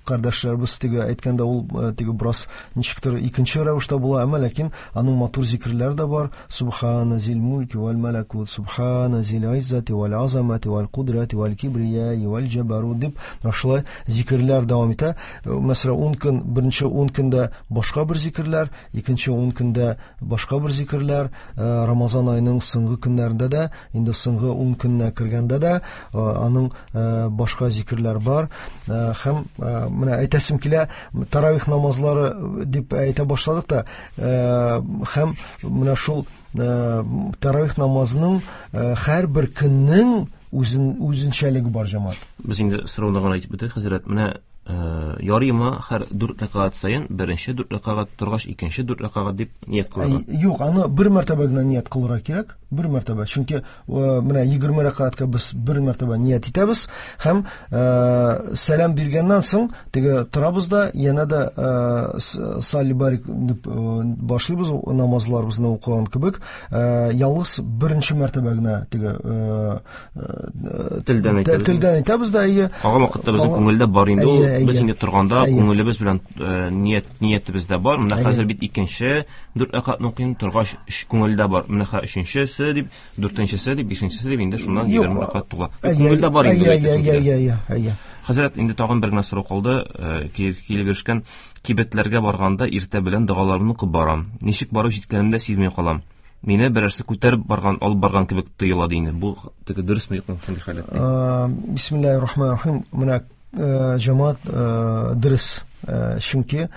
кардәшләребез теге әйткәндә ул теге бераз ничектер икенче рәвештә була, әмма ләкин аның матур зикерләре дә бар. Субхана зил мульки вәл малакут, субхана зил иззати вәл азамати вәл кудрати вәл кибрияи вәл җабарут дип шулай зикерләр дәвам итә. Мәсәлән, ун көн, беренче ун көндә башка бер зикерләр, икенче ун көндә башка бер зикерләр, Рамазан аеның соңгы көннәрендә дә, инде соңгы ун көненә кергәндә дә аның башка зикерләр бар. Һәм менә әйтәсем килә, таравих намазлары дип әйтә башладык та, һәм менә шул таравих намазының һәрбер көннең үзен үзенчәлеге бар, җәмәгать. Без инде сорауны гына әйтеп бетерик, хәзрәт. Менә ярыймы һәр дүрт рәкәгать саен беренче дүрт рәкәгать торгач икенче дүрт рәкәгать дип ният кылырга? Юк, аны бер мәртәбә генә ният кылырга кирәк, бер мәртәбә. Чөнки менә егерме рәкәгатькә без бер мәртәбә ният итәбез һәм сәлам биргәннән соң теге торабыз да янә дә салли барик дип башлыйбыз намазларыбызны укыган кебек. Ялгыз беренче мәртәбә генә теге телдән әйтәбез. Телдән әйтәбез дә, әйе. Калган вакытта безнең күңелдә бар инде ул. Без инде торганда күңелебез белән ният ниятебез дә бар. Менә хәзер бит икенче дүрт рәкәгатьне укыйм, торгач күңелдә бар. Менә хәзер өченчесе дип, дүртенчесе дип, бишенчесе дип инде шуннан егерме рәкәгать тула. Күңелдә бар инде. Әйе, әйе, әйе. Хәзрәт, инде тагын бер генә сорау калды. Килеп ирешкән: кибетләргә барганда иртә белән догаларымны укып барам. Ничек барып җиткәнемне дә сизми калам. Мине берәрсе күтәреп барган, алып барган кебек тоела ди инде. Бу теге дөресме, юкмы шундый халәттә? Бисмиллаһир рахманир рахим. Менә җәмәгать, дөрес. Чөнки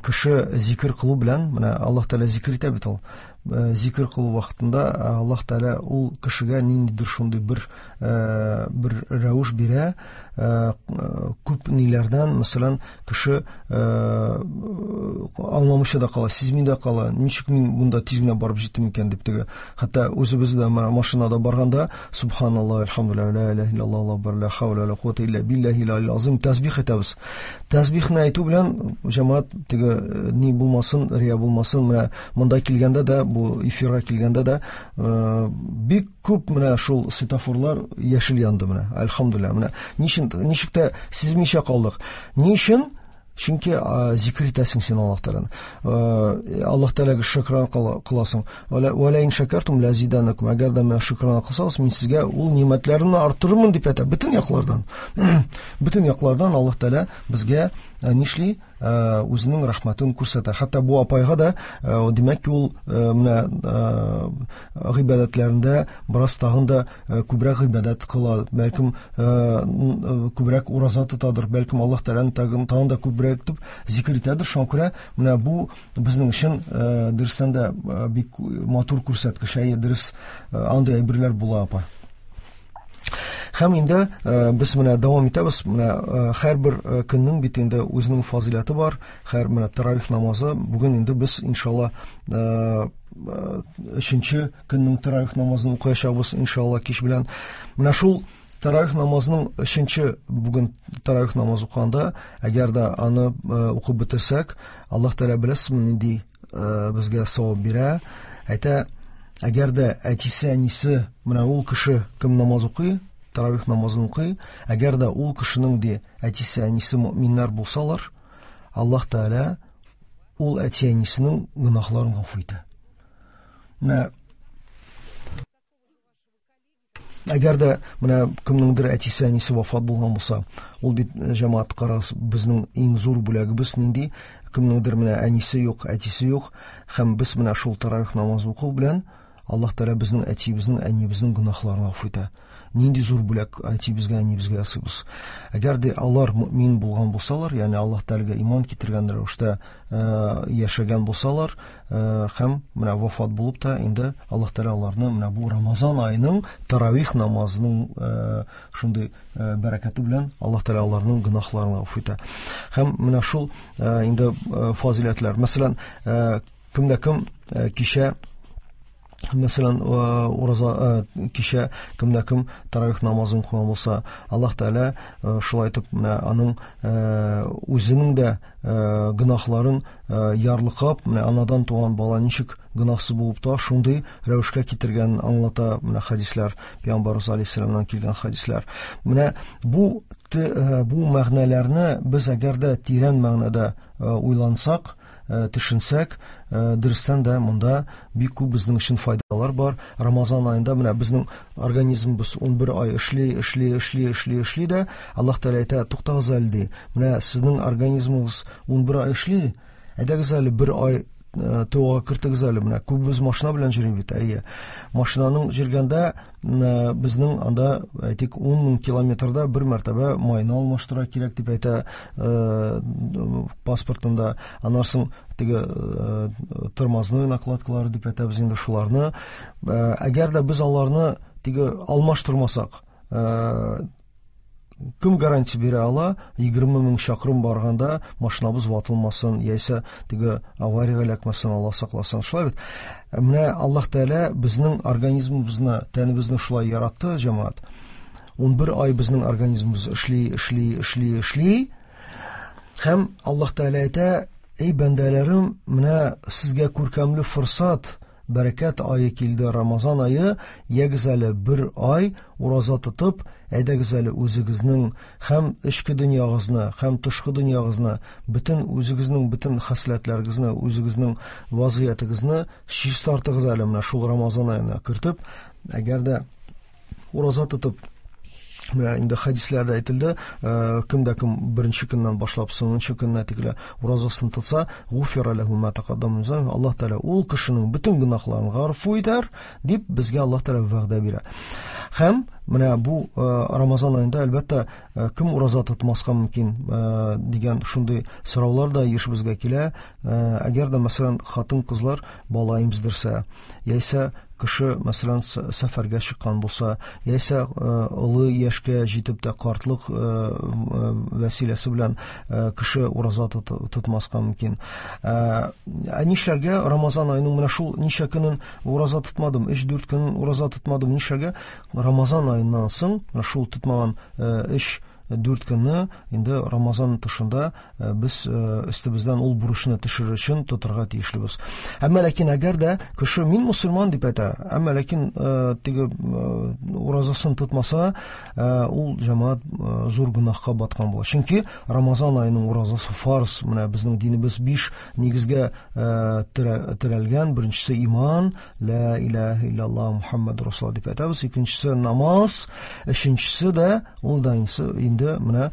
кеше зикер кылу белән, менә Аллаһ Тәгалә зикер итә бит ул. Зикер кылу вакытында Аллаһ Тәгалә ул кешегә ниндидер шундый бер бер рәвеш бирә. Күп ниләрдән, мәсәлән, кеше аңламыйча да кала, сизми дә кала, ничек мин монда тиз генә барып җиттем икән дип теге. Хәтта үзебез дә машинада барганда субханаллаһ, альхамдулиллаһ, ла илаһа иллаллаһ, аллаһу акбар, ла хаула ва ла куата илля биллаһил алил азим тәсбих әйтәбез. Тәсбихне әйтү белән җәмәгать теге ни булмасын, рия булмасын, менә монда килгәндә дә, бу эфирга килгәндә дә бик күп менә шул светофорлар яшел янды менә, альхамдулиллаһ. Менә ничек ничек тә сизмичә калдык. Ни өчен? Чөнки зикер итәсең син Аллаһ Тәгаләне. Аллаһ Тәгаләгә шөкран кыласың. Ва ла ин шакартум ла зиданакум. Әгәр дә миңа шөкран кылсагыз, мин сезгә ул нимәтләремне арттырырмын дип әйтә. Бөтен яклардан. Бөтен яклардан Аллаһ Тәгалә безгә нишли? Үзенең рәхмәтен күрсәтә. Хәтта бу апайга да, димәк ки, ул менә гыйбадәтләрендә бераз тагын да күбрәк гыйбадәт кыла, бәлкем күбрәк ураза тотадыр, бәлкем Аллаһ Тәгаләне тагын да күбрәк итеп зикер итәдер. Шуңа күрә менә бу безнең өчен дөрестән дә бик матур күрсәткеч. Әйе, дөрес, андый әйберләр була, апа. Һәм инде без менә дәвам итәбез. Менә һәрбер көннең бит инде үзенең фазыйләте бар. Һәр менә таравих намазы. Бүген инде без иншалла өченче көннең таравих намазын укыячакбыз иншалла кич белән. Менә шул таравих намазының өченче бүген таравих намазы укыганда, әгәр дә аны укып бетерсәк, Аллаһ Тәгалә беләсезме нинди безгә савап бирә? Әйтә, әгәр дә әтисе, әнисе, менә ул кеше кем намаз укый, таравих намазын укый, әгәр дә ул кешенең ди әтисе, әнисе мөэминнәр булсалар, Аллаһ Тәгалә ул әти әнисенең гөнаһларын гафу итә. Менә әгәр дә менә кемнеңдер әтисе, әнисе вафат булган булса, ул бит, җәмәгать, карагыз, безнең иң зур бүләгебез нинди? Кемнеңдер менә әнисе юк, әтисе юк, һәм без менә шул таравих намазы уку белән Аллаһ Тәгалә безнең әтиебезнең, әниебезнең гөнаһларын гафу итә. Нинди зур бүләк әтиебезгә, әниебезгә ясыйбыз. Әгәр дә алар мөэмин булган булсалар, ягъни Аллаһ Тәгаләгә иман китергән рәвештә яшәгән булсалар, һәм менә вафат булып та инде Аллаһ Тәгалә аларны менә бу Рамазан аеның таравих намазының шундый бәрәкәте белән Аллаһ Тәгалә аларның гөнаһларын гафу итә. Һәм менә шул инде фазыйләтләр. Мәсәлән, кемдә кем кичә Мәсәлән, ураза кичә кемдә кем таравих намазын кылган булса, Аллаһ Тәгалә шулай итеп менә аның үзенең дә гөнаһларын ярлыкап, менә анадан туган бала ничек гөнаһсыз булып та, шундый рәвешкә китергәнен аңлата менә хәдисләр, Пәйгамбәребез алейһиссәламнан килгән хәдисләр. Менә бу бу мәгънәләрне без әгәр дә тирән мәгънәдә уйлансак, төшенсәк, дөрестән дә монда бик күп безнең өчен файдалар бар. Рамазан аенда менә безнең организмыбыз ун бер ай эшли, эшли, эшли, эшли, эшли дә, Аллаһ Тәгалә әйтә, туктагыз әле ди. Менә сезнең организмыгыз ун бер ай эшли, әйдәгез әле бер ай тауга кертегез әле. Менә күбебез машина белән йөри бит, әйе. Машинаның йөргәндә безнең анда, әйтик, ун мең километрда бер мәртәбә майны алмаштыра кирәк дип әйтә паспортында. Аннан соң теге тормозной накладкалары дип әйтәбез инде шуларны. Әгәр дә без аларны теге алмаштырмасак, кем гарантия бирә ала, егерме мең чакрым барганда машинабыз ватылмасын, яисә теге авариягә эләкмәсен, Алла сакласын. Шулай бит. Менә Аллаһ Тәгалә безнең организмыбызны, тәнебезне шулай яратты, җәмәгать. ун бер ай безнең организмыбыз эшли, эшли, эшли, эшли. Һәм Аллаһ Тәгалә әйтә, эй бәндәләрем, менә сезгә күркәмле форсат, бәрәкәт ае килде, Рамазан ае, ягез әле бер ай ураза тотып, әйдәгез әле үзегезнең һәм эчке дөньягызны, һәм тышкы дөньягызны, бөтен үзегезнең бөтен хәсләтләрегезне, үзегезнең вазгыятегезне чистартыгыз әле менә шул Рамазан аена кертеп, әгәр дә ураза тотып, менә инде хәдисләрдә әйтелде, кем дә кем беренче көннән башлап соңынчы көннә тикле уразасын тотса, гуфира ләһу ма тақаддама мин замби, Аллаһ Тәгалә ул кешенең бөтен гөнаһларын гафу итәр дип безгә Аллаһ Тәгалә вәгъдә бирә. Һәм менә бу Рамазан аенда әлбәттә кем ураза тотмаска мөмкин дигән шундый сораулар да еш безгә килә. Әгәр дә мәсәлән хатын-кызлар бала имездерсә, яисә кеше мәсәлән сәфәргә чыккан булса, яисә олы яшькә җитеп тә картлык вәсиләсе белән кеше ураза тотмаска мөмкин. Ә нишләргә Рамазан аеның менә шул ничә көнен ураза тотмадым, өч-дүрт көн ураза тотмадым, нишләргә? Рамазан аеннан соң менә шул тотмаган өч дүрт көнне инде Рамазан тышында без өстебездән ул бурычны төшерер өчен тотарга тиешлебез. Әмма ләкин әгәр дә кеше мин мусульман дип әйтә, әмма ләкин теге уразасын тотмаса, ул җәмәгать зур гөнаһка баткан була. Чөнки Рамазан аеның уразасы фарз. Менә безнең динебез биш нигезгә терәлгән. Беренчесе иман, ла илаһа иллаллаһ Мухаммадур Расулуллаһ дип әйтәбез. Икенчесе намаз, өченчесе дә ул да инде менә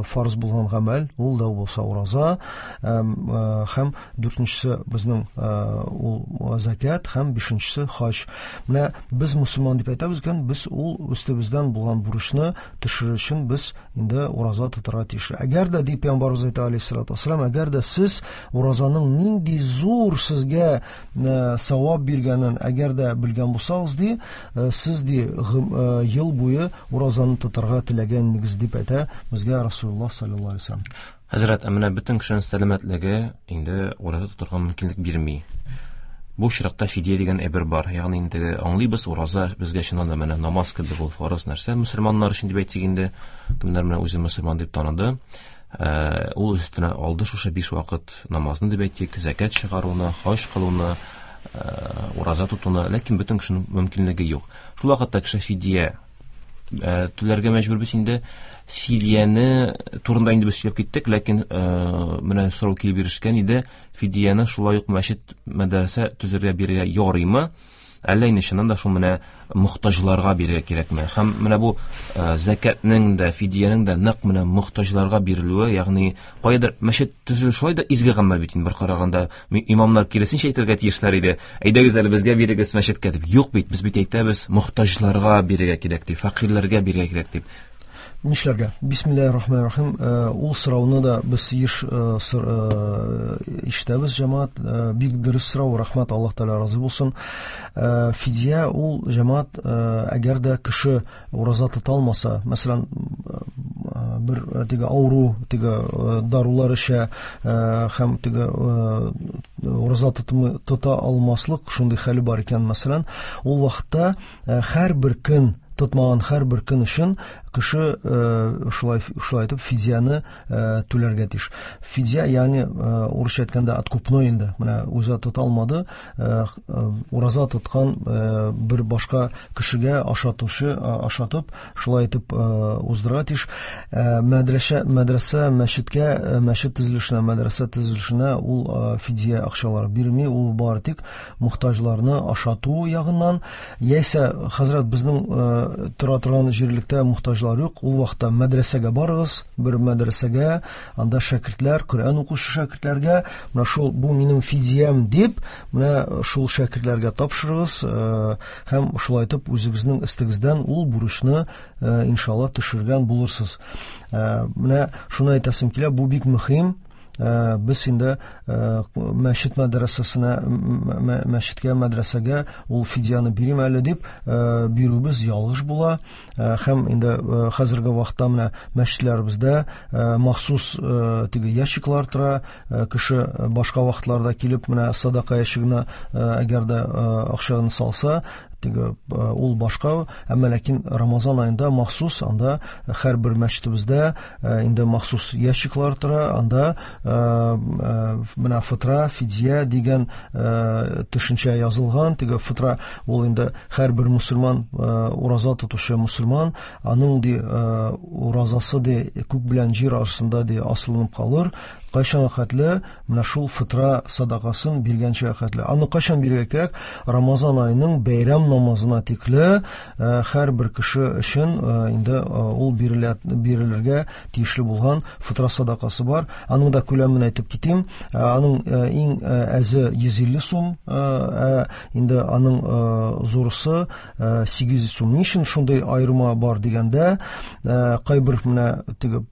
фарз булган гамәл, ул да булса ураза, һәм дүртенчесе безнең ул закят, һәм бишенчесе хаҗ. Менә без мусульман дип әйтәбез икән, без ул өстебездән булган бурычны төшерер өчен без инде ураза тотарга тиеш. Әгәр дә, дип Пәйгамбәребез әйтә алейһиссалату вассалам, әгәр дә сез уразаның нинди зур сезгә савап биргәнен әгәр дә белгән булсагыз, ди, сез ди ел буе уразаны тотарга теләгәнегез дип әйтә безгә Расулуллаһ саллаллаһу алейһи ва саллям. Хәзрәт, ә менә бөтен кешенең сәламәтлеге инде ураза тотарга мөмкинлек бирми. Бу очракта фидия дигән әйбер бар. Ягъни инде аңлыйбыз, ураза безгә чыннан да менә намаз кебек ул фарыз нәрсә мөселманнар өчен дип әйтик инде, кемнәр менә үзе мөселман дип таныды, ул үз өстенә алды шушы биш вакыт намазны дип әйтик, закят чыгаруны, хаҗ кылуны, ураза тотуны, ләкин бөтен кешенең мөмкинлеге юк. Шул вакытта кеше фидия түләргә мәҗбүр без инде. Фидияне турында инде без сөйләп киттек, ләкин менә сорау килеп ирешкән иде. Фидияне шулай ук мәчет, мәдрәсә төзергә бирергә ярыймы? Әллә инде чыннан да шул менә мохтаҗларга бирергә кирәкме? Һәм менә бу закятның да, фидиянең дә нәкъ менә мохтаҗларга бирелүе, ягъни кайдыр мәчет төзелү шулай да изге гамәл бит инде, бер караганда имамнар киресенчә әйтергә тиешләр иде. Әйдәгез әле безгә бирегез мәчеткә дип. Юк бит, без бит әйтәбез, мохтаҗларга бирергә кирәк дип, фәкыйрьләргә бирергә кирәк дип. Нишләргә? Бисмиллаһир-рахманир-рахим. Ул сорауны да без еш ишетәбез, җәмәгать. Бик дөрес сорау, рәхмәт, Аллаһ Тәгалә разый булсын. Фидия ул, җәмәгать, әгәр дә кеше ураза тота алмаса, мәсәлән, бер теге авыру, теге дарулар эчә һәм теге ураза тота алмаслык шундый хәле бар икән, мәсәлән, ул вакытта һәрбер көн тотмаган һәрбер көн өчен кеше шулай шулай итеп фидияне түләргә тиеш. Фидия, ягъни урысча әйткәндә откупной инде. Менә үзе тота алмады, ураза тоткан бер башка кешегә ашатучы ашатып, шулай итеп уздырырга тиеш. Мәдрәсә, мәдрәсә, мәчеткә, мәчет төзелешенә, мәдрәсә төзелешенә ул фидия акчалары бирми, ул бары тик мохтаҗларны ашату ягыннан, яисә хәзрәт безнең тора торган җирлектә мохтаҗлар юк, ул вакытта мәдрәсәгә барыгыз, бер мәдрәсәгә, анда шәкертләр, Коръән укучы шәкертләргә, менә шул бу минем фидиям дип, менә шул шәкертләргә тапшырыгыз һәм шулай итеп үзегезнең өстегездән ул бурычны иншалла төшергән булырсыз. Менә шуны әйтәсем килә, бу бик мөһим. Без инде мәчет мәдрәсәсенә, мәчеткә, мәдрәсәгә ул фидияне бирим әле дип бирүебез ялгыш була. Һәм инде хәзерге вакытта менә мәчетләребездә махсус теге ящиклар тора, кеше башка вакытларда килеп менә садака ящигына әгәр дә акчаны салса, теге ул башка, әмма ләкин Рамазан аенда махсус анда һәрбер мәчетебездә инде махсус ящиклар тора, анда менә фытра, фидия дигән төшенчә язылган. Теге фытра ул инде һәрбер мусульман, ураза тотучы мусульман, аның ди уразасы ди күк белән җир арасында ди асылынып калыр. Кайчан хәтле менә шул фытра садакасын биргәнчә хәтле. Аны кайчан бирергә кирәк? Рамазан аеның бәйрәм намазына тикле һәрбер кеше өчен инде ул бирелә, бирелергә тиешле булган фытра садакасы бар. Аның да күләмен әйтеп китим. Аның иң әзе йөз илле сум, инде аның зурысы сигез йөз сум. Ни өчен шундый аерма бар дигәндә, кайбер менә теге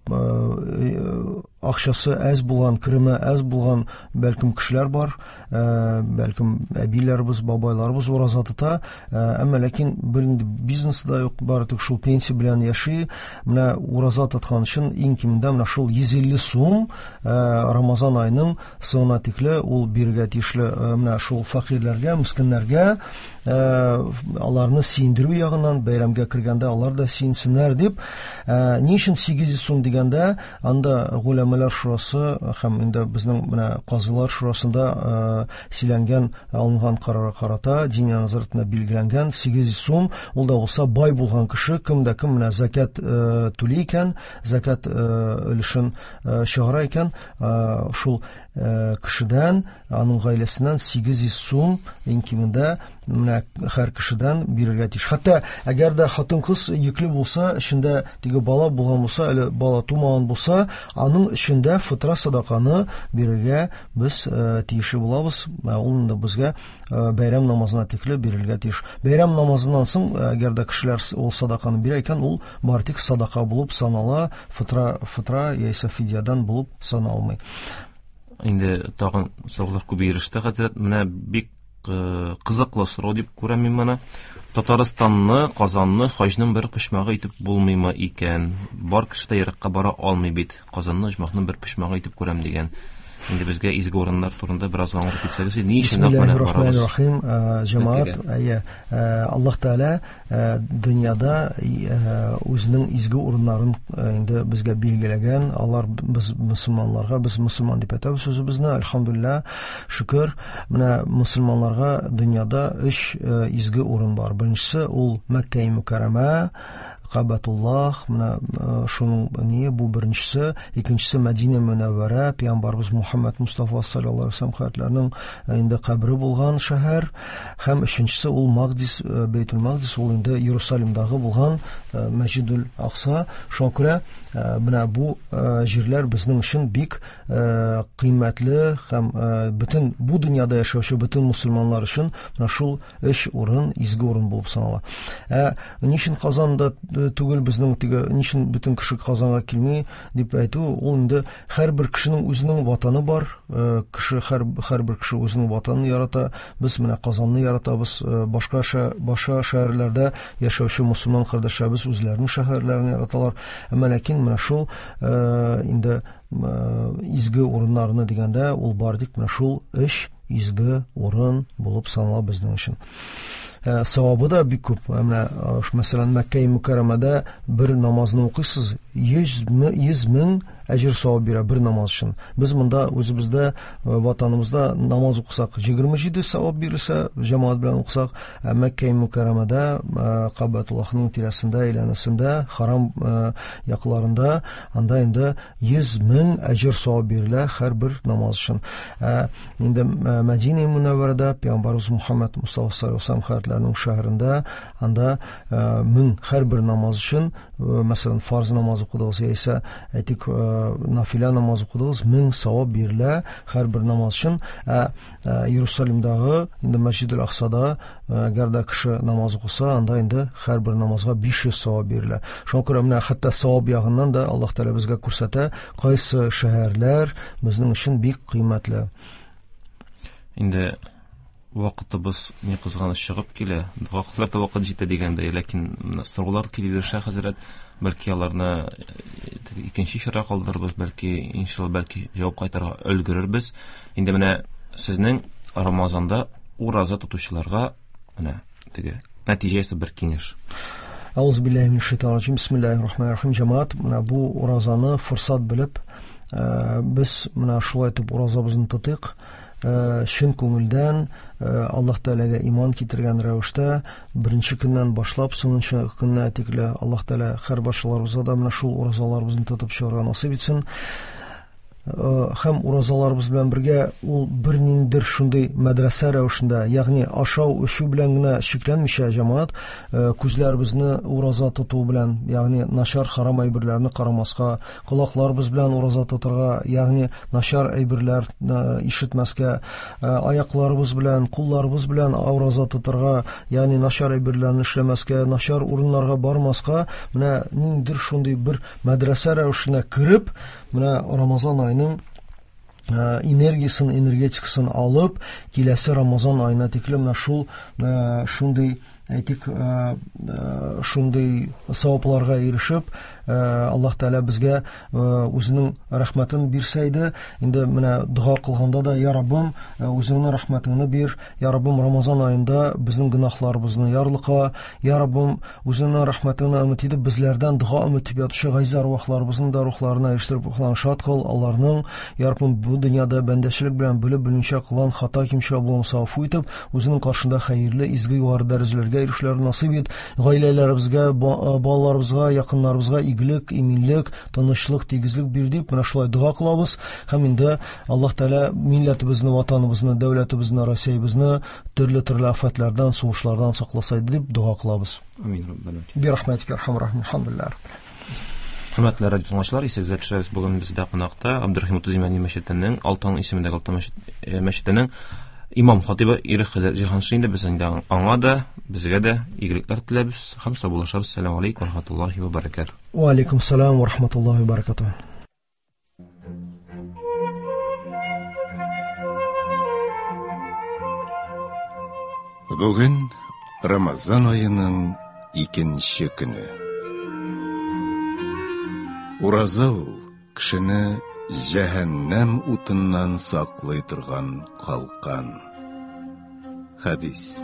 акчасы әз булган, кереме әз булган бәлкем кешеләр бар, бәлкем әбиләребез, бабайларыбыз ураза тота, әмма ләкин бер инде бизнесы да юк, бары тик шул пенсия белән яши. Менә ураза тоткан өчен иң кимендә менә шул йөз илле сум Рамазан аеның соңына тикле ул бирергә тиешле менә шул фәкыйрьләргә, мескеннәргә, аларны сөендерү ягыннан, бәйрәмгә кергәндә алар да сөенсеннәр дип. Ни өчен сигез йөз сум дигәндә, анда Голәмәләр шурасы һәм инде безнең менә казыйлар шурасында сөйләнгән, алынган карарга карата Диния нәзарәтендә билгеләнгән сигез йөз сум, ул да булса бай булган кеше, кем дә кем менә закат түли икән, закат өлешен чыгара икән, шул кешедән, аның гаиләсеннән сигез йөз сум иң кимендә менә һәр кешедән бирергә тиеш. Хәтта әгәр дә хатын-кыз йөкле булса, эчендә теге бала булган булса, әле бала тумаган булса, аның эчендә фытра садаканы бирергә без тиешле булабыз. Ул инде безгә бәйрәм намазына тикле бирелгә тиеш. Бәйрәм намазыннан соң, әгәр дә кешеләр ул садаканы бирә икән, ул бары тик садака булып санала, фытра, фытра яисә фидиядан булып саналмый. Инде тагын сораулар күп иреште, хәзрәт. Менә бик кызыклы сорау дип күрәм мин моны. Татарстанны, Казанны хаҗның бер почмагы итеп булмыймы икән? Бар кеше дә еракка бара алмый бит. Казанны оҗмахның бер почмагы итеп күрәм дигән. Инде безгә изге урыннар турында бераз аңлатып китсәгез, ни өчен нәкъ менә барабыз? Бисмиллаһир-рахманир-рахим. Җәмәгать, әйе, Аллаһ Тәгалә дөньяда үзенең изге урыннарын инде безгә билгеләгән. Алар без мусульманнарга, без мусульман дип әйтәбез үзебезне, әлхәмдүлилләһ, шөкер. Менә мусульманнарга дөньяда өч изге урын бар. Беренчесе ул Мәккә мөкәррәмә, Кабатуллах, менә шуның ние бу беренчесе, икенчесе Мәдинә Мөнәввәрә, пәйгамбәрбез Мухаммад Мустафа саллаллаһу алейһи ва саллям хәзрәтләренең инде кабере булган шәһәр, һәм өченчесе ул Магдис, Бейтул Магдис, ул инде Иерусалимдагы булган Мәсҗидул Акса. Шуңа күрә менә бу җирләр безнең өчен бик кыйммәтле һәм бөтен бу дөньяда яшәүче бөтен мусульманнар өчен менә шул өч урын изге урын булып санала. Ә ни өчен Казанда түгел безнең теге, ни өчен бөтен кеше Казанга килми дип әйтү, ул инде һәрбер кешенең үзенең ватаны бар, кеше һәр, һәрбер кеше үзенең ватанын ярата. Без менә Казанны яратабыз, башка башка шәһәрләрдә яшәүче мусульман кардәшләребез үзләренең шәһәрләрен яраталар. Әмма ләкин менә шул инде изге урыннарны дигәндә, ул бар дип менә шул өч изге урын булып санала безнең өчен. Савабы да бик күп. Менә мәсәлән, Мәккә Мөкәррәмәдә бер намазны укыйсыз, йөз мең әҗер савап бирә бер намаз өчен. Без монда үзебездә ватаныбызда намаз укысак егерме җиде савап бирелсә, җәмәгать белән укысак, Мәккә Мөкәррәмәдә Кабатуллаһның тирәсендә, әйләнәсендә, харам якларында анда инде йөз мең әҗер савап бирелә һәрбер намаз өчен. Инде Мәдинә Мөнәввәрәдә Пәйгамбәребез Мухаммад Мустафа саллаллаһу алейһи ва саллям шәһәрендә анда мең һәрбер намаз өчен, мәсәлән, фарз намаз укыдыгыз яисә әйтик нафилә намаз укыдыгыз, мең савап бирелә һәрбер намаз өчен. Ә Иерусалимдагы инде Мәсҗидел Аксада әгәр дә кеше намаз укыса, анда инде һәрбер намазга биш йөз савап бирелә. Шуңа күрә менә хәтта савап ягыннан да Аллаһ Тәгалә безгә күрсәтә, кайсы шәһәрләр безнең өчен бик кыйммәтле. Инде вакытыбыз ни кызганыч чыгып килә. Дога кылырга да вакыт җитә дигәндәй, ләкин сораулар килә бирсә, хәзрәт, бәлки аларны икенче эфирга калдырырбыз, бәлки иншалла, бәлки җавап кайтарырга өлгерербез. Инде менә сезнең Рамазанда ураза тотучыларга менә теге нәтиҗәсе бер киңәш. Аузу биллаһи минәш шайтанир раҗим. Бисмиллаһир рахманир рахим. Җәмәгать, менә бу уразаны форсат белеп, без менә шулай итеп уразабызны тотыйк. Чын күңелдән Аллаһ Тәгаләгә иман китергән рәвештә беренче көннән башлап соңынчы көннә тикле Аллаһ Тәгалә һәр барчаларыбызга да менә шул уразаларыбызны тотып чыгарга насыйп итсен. Һәм уразаларыбыз белән бергә ул бер ниндидер шундый мәдрәсә рәвешендә, ягъни ашау, эчү белән генә чикләнмичә, җәмәгать, күзләребезне ураза тоту белән, ягъни начар харам әйберләрне карамаска, колакларыбыз белән ураза тотарга, ягъни начар әйберләр ишетмәскә, аякларыбыз белән, кулларыбыз белән ураза тотарга, ягъни начар әйберләрне эшләмәскә, начар урыннарга бармаска, менә ниндидер шундый бер мәдрәсә рәвешенә кереп, менә Рамазан айының энергиясын, энергетикасын алып, киләсе Рамазан аена тикле менә шул шундый, әйтик, шундый савапларга ирешеп, Аллаһ Тәгалә безгә үзенең рәхмәтен бирсә иде. Инде менә дога кылганда да, я Раббым, үзеңнең рәхмәтеңне бир, я Раббым, Рамазан аенда безнең гөнаһларыбызны ярлыка, я Раббым, үзеңнең рәхмәтеңне өмет итеп, безләрдән дога өмет итеп ятучы газиз арвахларыбызның да рухларына ирештереп, рухларын шат кыл, аларның, я Раббым, бу дөньяда бәндәчелек белән белеп белмичә кылган хата кимчелек булмаса гафу итеп, үзеңнең каршында хәерле, изге югары дәрәҗәләргә ирешүләрен насыйп ит, гаиләләребезгә, балаларыбызга, якыннарыбызга игелек, иминлек, тынычлык, тигезлек бир дип менә шулай дога кылабыз. Һәм инде Аллаһ Тәгалә милләтебезне, ватаныбызны, дәүләтебезне, Россиябезне төрле-төрле афәтләрдән, сугышлардан сакласа иде дип дога кылабыз. Амин, Раббана. Би рахматика архамар рахим. Алхамдулиллах. Хөрмәтле радио тыңлаучылар, исегезгә төшерәбез, бүген бездә кунакта Абдурахим Утыз Имәни мәчетенең, Алтын исемендәге Алтын мәчетенең имам хатибы Ирек хәзрәт Җиһаншин. Инде без инде аңа да, безгә дә игелекләр теләбез һәм саубуллашабыз. Ассаламу алейкум ва рахматуллаһи ва баракатуһ. Ва алейкум ассалам ва рахматуллаһи ва баракатуһ. Бүген Рамазан аеның икенче көне. Ураза ул кешене җәһәннәм утыннан саклый торган калкан. Хәдис.